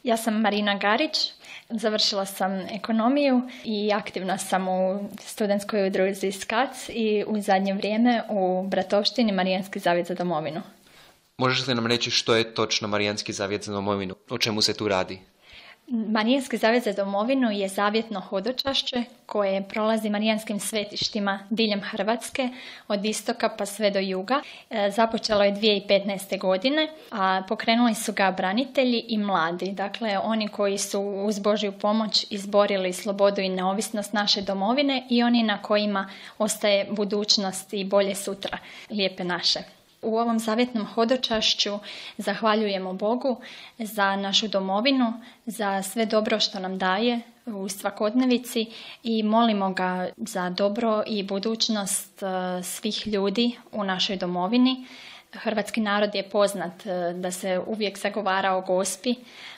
Ja sam Marina Garić, završila sam ekonomiju i aktivna sam u studentskoj udruzi SKAC i u zadnje vrijeme u Bratovštini Marijanski zavjet za domovinu. Možeš li nam reći što je točno Marijanski zavjet za domovinu? O čemu se tu radi? Marijanski zavjet za domovinu je zavjetno hodočašće koje prolazi marijanskim svetištima diljem Hrvatske, od istoka pa sve do juga. Započelo je 2015. godine, a pokrenuli su ga branitelji i mladi. Dakle, oni koji su uz Božju pomoć izborili slobodu i neovisnost naše domovine i oni na kojima ostaje budućnost i bolje sutra, lijepe naše. U ovom zavjetnom hodočašću zahvaljujemo Bogu za našu domovinu, za sve dobro što nam daje u svakodnevici i molimo ga za dobro i budućnost svih ljudi u našoj domovini. Hrvatski narod je poznat da se uvijek zagovara o Gospi,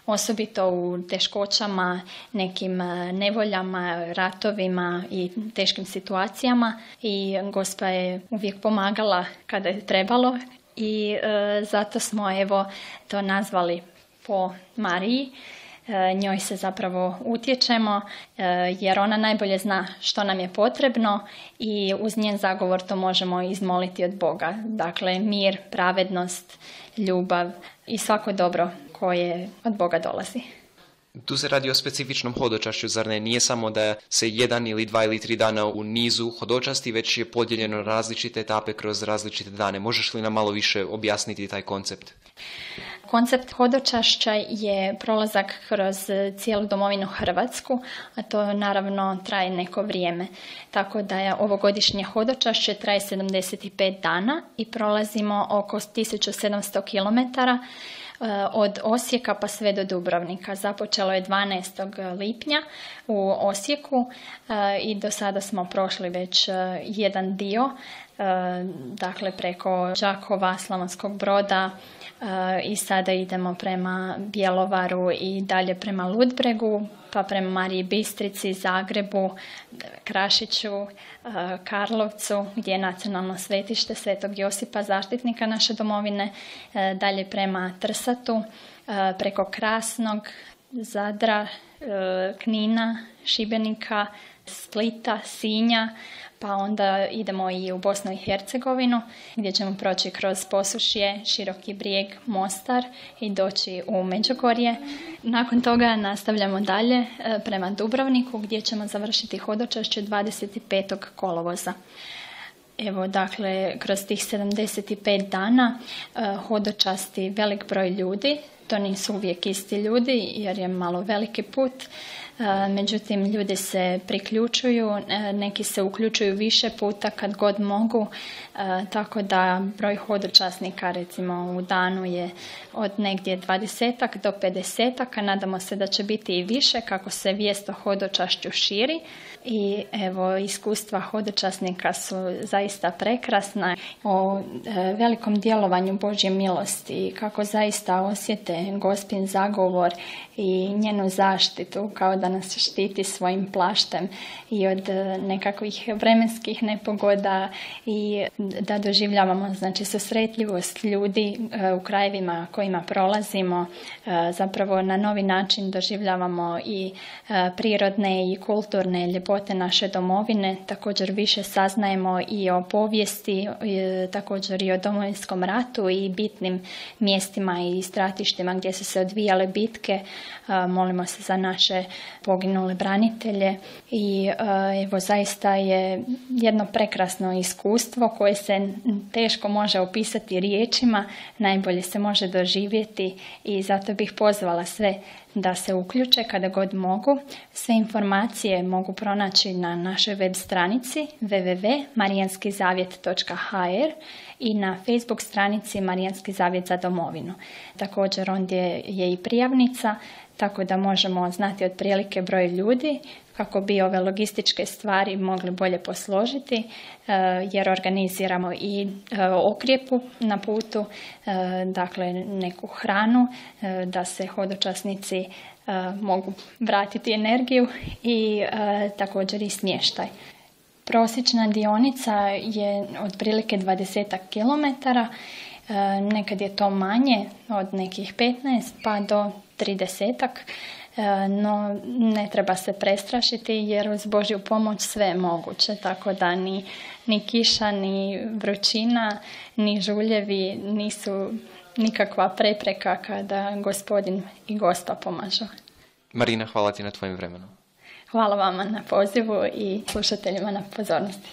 osobito u teškoćama, nekim nevoljama, ratovima i teškim situacijama i Gospa je uvijek pomagala kada je trebalo i zato smo to nazvali po Mariji. Njoj se zapravo utječemo jer ona najbolje zna što nam je potrebno i uz njen zagovor to možemo izmoliti od Boga. Dakle, mir, pravednost, ljubav i svako dobro koje od Boga dolazi. Tu se radi o specifičnom hodočašću, zar ne? Nije samo da se 1 ili 2 ili 3 dana u nizu hodočasti, već je podijeljeno različite etape kroz različite dane. Možeš li nam malo više objasniti taj koncept? Koncept hodočašća je prolazak kroz cijelu domovinu Hrvatsku, a to naravno traje neko vrijeme. Tako da je ovogodišnje hodočašće traje 75 dana i prolazimo oko 1700 km od Osijeka pa sve do Dubrovnika. Započelo je 12. lipnja u Osijeku i do sada smo prošli već jedan dio, dakle preko Đakova, Slavonskog Broda i sada idemo prema Bjelovaru i dalje prema Ludbregu, pa prema Mariji Bistrici, Zagrebu, Krašiću, Karlovcu, gdje je nacionalno svetište Svetog Josipa, zaštitnika naše domovine, dalje prema Trsatu, preko Krasnog, Zadra, Knina, Šibenika, Splita, Sinja, pa onda idemo i u Bosnu i Hercegovinu gdje ćemo proći kroz Posušje, Široki Brijeg, Mostar i doći u Međugorje. Nakon toga nastavljamo dalje prema Dubrovniku gdje ćemo završiti hodočašće 25. kolovoza. Evo, dakle, kroz tih 75 dana hodočasti velik broj ljudi. To nisu uvijek isti ljudi jer je malo veliki put. Međutim, ljudi se priključuju, neki se uključuju više puta kad god mogu, tako da broj hodočasnika recimo u danu je od negdje 20 do 50, a nadamo se da će biti i više kako se vijest o hodočašću širi. I evo, iskustva hodočasnika su zaista prekrasna o velikom djelovanju Božje milosti, kako zaista osjete Gospin zagovor i njenu zaštitu, kao da nas štiti svojim plaštem i od nekakvih vremenskih nepogoda i da doživljavamo znači susretljivost ljudi u krajevima kojima prolazimo, zapravo na novi način doživljavamo i prirodne i kulturne ljepote naše domovine, također više saznajemo i o povijesti, također i o Domovinskom ratu i bitnim mjestima i stratištima gdje su se odvijale bitke. Molimo se za naše poginule branitelje i evo, zaista je jedno prekrasno iskustvo koje se teško može opisati riječima, najbolje se može doživjeti i zato bih pozvala sve da se uključe kada god mogu. Sve informacije mogu pronaći na našoj web stranici www.marijanskizavjet.hr i na Facebook stranici Marijanski zavjet za domovinu. Također ondje je i prijavnica, tako da možemo znati otprilike broj ljudi kako bi ove logističke stvari mogli bolje posložiti, jer organiziramo i okrjepu na putu, dakle neku hranu, da se hodočasnici mogu vratiti energiju i također i smještaj. Prosječna dionica je otprilike 20 km Nekad je to manje, od nekih 15 pa do 30, no ne treba se prestrašiti jer uz Božju pomoć sve je moguće, tako da ni kiša, ni vrućina, ni žuljevi nisu nikakva prepreka kada Gospodin i Gospa pomažu. Marina, hvala ti na tvojim vremenom. Hvala vama na pozivu i slušateljima na pozornosti.